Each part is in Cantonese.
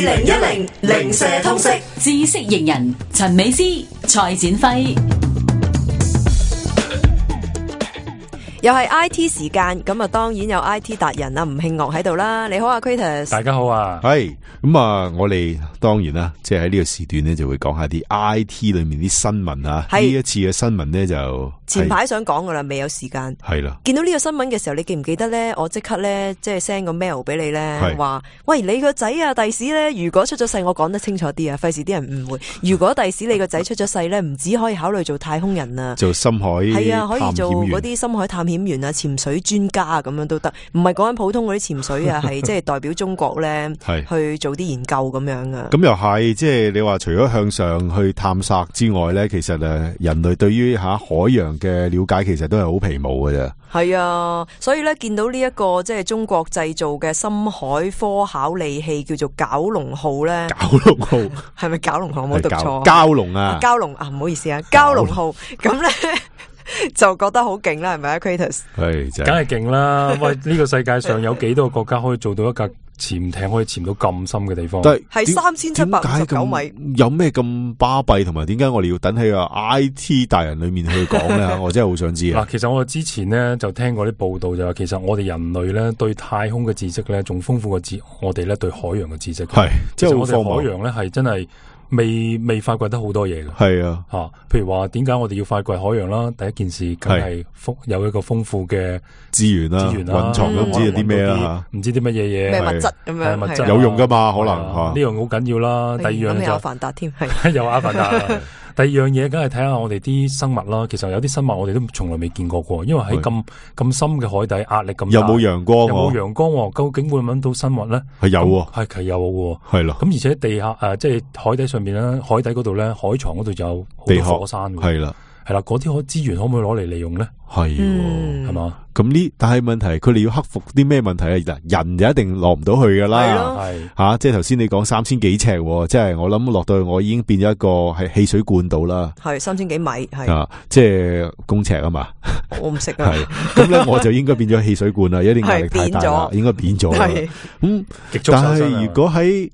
2010零舍通識知識型人陳美詩、蔡展輝。又係 I T 時間，咁啊當然有 I T 達人啊吳慶岳喺度啦。你好啊 Kratos， 大家好啊。係咁啊，我哋當然啦，即係喺呢個時段咧，就會講下啲 I T 裏面啲新聞啊。呢一次嘅新聞咧就前排想講噶啦，未有時間。係啦，見到呢個新聞嘅時候，你記唔記得咧？我即刻咧即係 send 個 mail 俾你咧，話喂你個仔啊，第時咧如果出咗世，我講得清楚啲啊，費事啲人誤會。如果第時你個仔出咗世咧，唔止可以考慮做太空人啊，做深海係啊，可以做嗰啲深海探險員啊、潛水專家啊，咁樣都得。唔係講緊普通嗰啲潛水啊，係即係代表中國咧去做啲研究咁樣啊。咁又係，即係你話除咗向上去探索之外咧，其實人類對於海洋嘅了解其實都係好皮毛嘅啫。係啊，所以咧見到呢一個即係中國製造嘅深海科考利器叫做蛟龍號咧，蛟龍號係咪蛟龍號？冇讀錯，蛟龍啊，蛟龍啊，唔好意思啊，蛟龍號咁咧就覺得好勁啦，係咪啊 Kratos？ 係，梗係勁啦！喂，呢個世界上有幾多個國家可以做到一架潛艇可以潛到咁深嘅地方？係3759米，有咩咁巴閉？同埋點解我哋要等喺個 IT 大人裏面去講咧？我真係好想知啊！嗱，其實我之前咧就聽過啲報道，就話其實我哋人類咧對太空嘅知識咧仲豐富過我哋咧對海洋嘅知識。係，即係我哋海洋咧係真係未發掘得好多嘢嘅。係啊，譬如話點解我哋要發掘海洋啦？第一件事梗係有一個豐富嘅資源啦，蘊藏都唔知有啲咩啦，唔知啲乜嘢咩物質咁樣，物質有用噶嘛？可能呢樣好緊要啦。第二樣就有阿凡達添，係有阿凡達。第二樣嘢，梗係睇下我哋啲生物啦。其實有啲生物我哋都從來未見過因為喺咁深嘅海底，壓力咁大，有冇陽光？有冇陽光？究竟會揾到生物咧？係有喎，係有喎，係咯。咁而且地下即係海底上面咧，海底嗰度咧，海床嗰度有好多火山嘅，係啦，嗰啲資源可唔可以攞嚟利用咧？係，係嘛？咁但係問題，佢哋要克服啲咩問題啊？人就一定落唔到去噶啦，係即係頭先你講3000幾尺，即係我諗落到去，我已經變咗一個係汽水罐度啦，係3000幾米，係即係公尺啊嘛，我唔識啊，咁咧我就應該變咗汽水罐啦，一定壓力太大啦，應該變咗啦。咁但係如果喺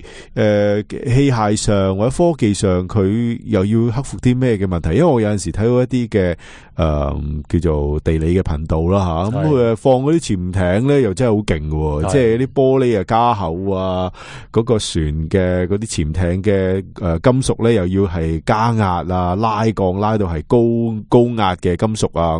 器械上或者科技上，佢又要克服啲咩嘅問題？因為我有陣時睇到一啲嘅叫做地理嘅頻道啦吓，咁佢放嗰啲潛艇咧，又真係好勁嘅，即係啲玻璃啊加厚啊，嗰個船嘅嗰啲潛艇嘅金屬咧，又要係加壓啊，拉鋼拉到係高壓嘅金屬啊，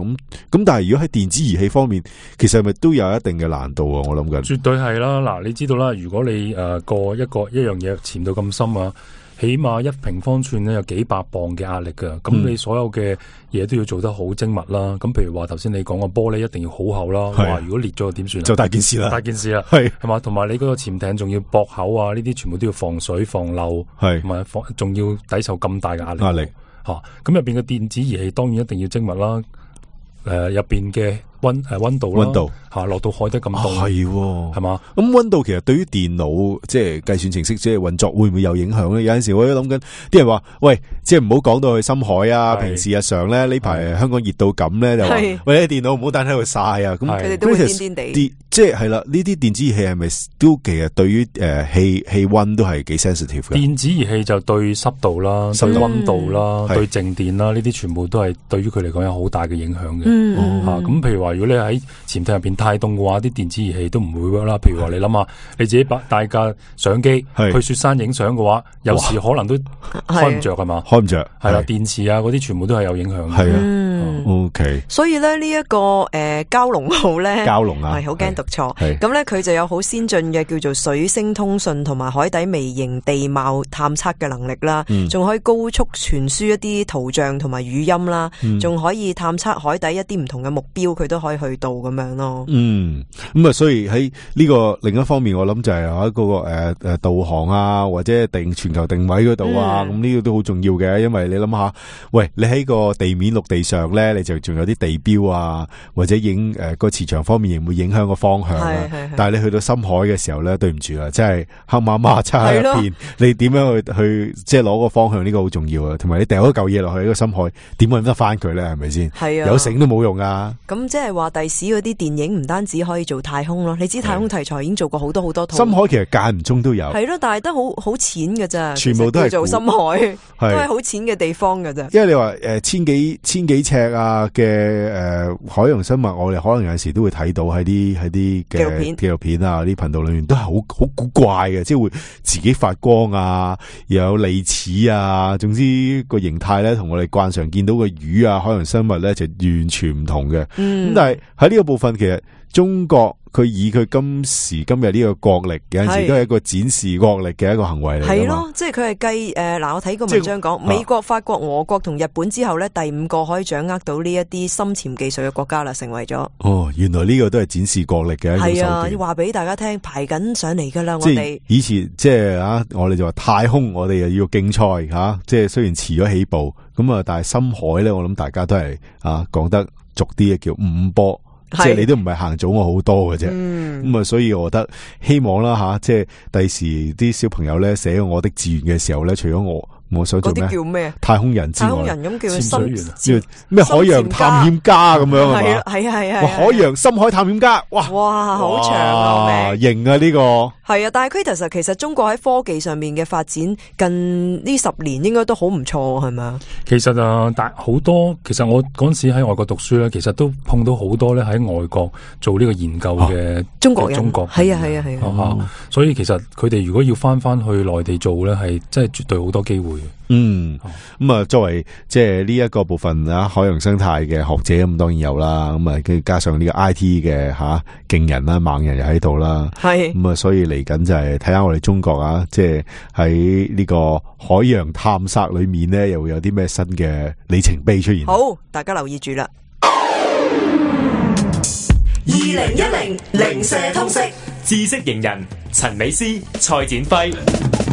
咁但係如果喺電子儀器方面，其實係咪都有一定嘅難度啊？我諗緊絕對係啦。嗱，你知道啦，如果你過一樣嘢潛到咁深啊，起碼1平方寸咧有幾百磅嘅壓力噶，咁你所有嘅嘢都要做得好精密啦。咁譬如話頭先你講個玻璃一定要好厚啦，哇！如果裂咗點算啊？就大件事啦，係嘛？同埋你嗰個潛艇仲要駁口啊，呢啲全部都要防水防漏，係同埋仲要抵受咁大嘅壓力吓。咁入邊嘅電子儀器當然一定要精密啦。入邊嘅溫度啦，落到海底咁凍，係嘛？咁溫度其實對於電腦即係計算程式即係運作會唔會有影響咧？有陣時我都諗緊，啲人話喂，即係唔好講到去深海啊。平時日常咧呢排香港熱到咁咧，就話喂，啲電腦唔好等喺度曬啊。咁佢哋都會癲癲地。即係啦，呢啲電子儀器係咪都其實對於氣溫都係幾 sensitive 嘅？電子儀器就對濕度啦、對溫度啦、對靜電啦，呢啲全部都係對於佢嚟講有好大嘅影響嘅。咁譬如話，如果你喺潛艇入邊太凍嘅話，啲電子儀器都唔會 work 啦。譬如話，你諗下，你自己帶架相機去雪山影相嘅話，有時可能都開唔着係嘛？開唔着係啦，電池啊嗰啲全部都係有影響嘅。係啊，OK。所以咧呢一個蛟龍號咧，蛟龍啊，係好驚讀錯。咁咧佢就有好先進嘅叫做水聲通訊同埋海底微型地貌探測嘅能力啦，仲可以高速傳輸一啲圖像同埋語音啦，仲可以探測海底一啲唔同嘅目標，佢都可以去到咁樣咯。咁啊，所以喺呢個另一方面，我諗就係喺嗰個導航啊，或者全球定位嗰度啊，咁呢個都好重要嘅，因為你諗下，喂，你喺個地面陸地上咧，你就仲有啲地標啊，或者個磁場方面亦會影響個方向。但係你去到深海嘅時候咧，對唔住啦，真係黑麻麻漆喺入邊，你點樣去即係攞個方向呢個好重要啊！同埋你掉一嚿嘢落去呢個深海，點搵得翻佢咧？係咪先？係啊，有繩都冇用啊！咁即係係話第時嗰啲電影唔單止可以做太空咯，你知太空題材已經做過好多套。深海其實間唔中都有，係咯，但係都好淺㗎咋，全部都係做深海，都係好淺嘅地方㗎咋。因為你話千幾尺啊嘅海洋生物，我哋可能有陣時都會睇到喺啲嘅紀錄片啊啲頻道裏面都係好古怪嘅，即係會自己發光啊，又有利齒啊，總之個形態咧同我哋慣常見到嘅魚啊海洋生物咧就完全唔同嘅。咁但係喺呢個部分，其實中國佢以佢今時今日呢個國力，有陣時都係一個展示國力嘅一個行為嚟。係咯，即係佢係繼我睇個文章講，美國、法國、俄國同日本之後咧，第5個可以掌握到呢一啲深潛技術嘅國家啦，成為咗。哦，原來呢個都係展示國力嘅一個手段。係啊，話俾大家聽，排緊上嚟噶啦，我哋以前即係我哋就話太空，我哋又要競賽吓，即係雖然遲咗起步，咁啊，但係深海咧，我諗大家都係講得俗啲嘅叫5波。即係你都唔係行早我好多嘅啫，咁所以我覺得希望啦即係第時啲小朋友咧寫我的志願嘅時候咧，除咗我想做咩？叫咩？太空人之外，太空人咁叫潛水員，咩海洋探險家咁樣係嘛？係海洋深海探險家，哇，好長啊名，型啊呢個。係啊，但係 Kratos 其實中國喺科技上面嘅發展近呢10年應該都好唔錯，係咪啊？其實但好多，其實我嗰陣時喺外國讀書咧，其實都碰到好多咧喺外國做呢個研究嘅中國人，係啊，所以其實佢哋如果要翻去內地做咧，係真係絕對好多機會。作為即係呢一個部分海洋生態嘅學者，咁當然有啦，咁加上呢個 IT 嘅勁人啦、猛人又喺度啦，係所以嚟緊就係睇下我哋中國即係喺呢個海洋探索裏面呢，又會有啲咩新嘅里程碑出現。好，大家留意住啦。2010零舍通識知識型人陳美詩、蔡展輝。